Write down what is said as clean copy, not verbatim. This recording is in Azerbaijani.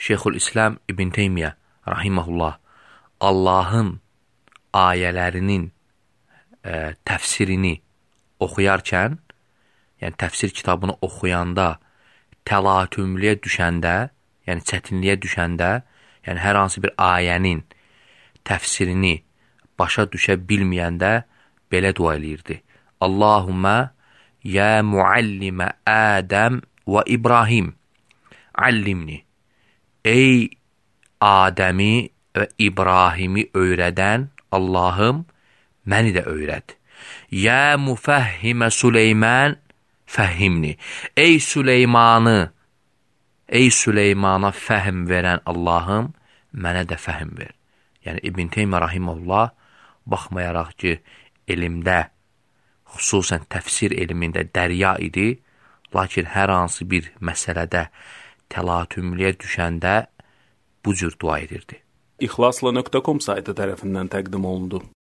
Şeyxülislam İbn Teymiyyə rahimehullah Allahın ayələrinin təfsirini oxuyarkən, yəni təfsir kitabını oxuyanda təlatümlüyə düşəndə, yəni çətinliyə düşəndə, yəni hər hansı bir ayənin təfsirini başa düşə bilməyəndə belə dua eləyirdi. Allahumma ya muallimə Ədəm və İbrahim allimni. Ey Adəmi və İbrahimi öyrədən Allahım, məni də öyrət. Ya müfəhhimə Süleyman fəhhimni. Ey Süleymana fəhm verən Allahım, mənə də fəhm ver. Yəni İbn Teymiyyə rahimehullah baxmayaraq ki, elmdə, xüsusən təfsir elmində dərya idi, lakin hər hansı bir məsələdə təlatümlüyə düşəndə bu cür dua edirdi. İxlasla.com saytı tərəfindən təqdim olundu.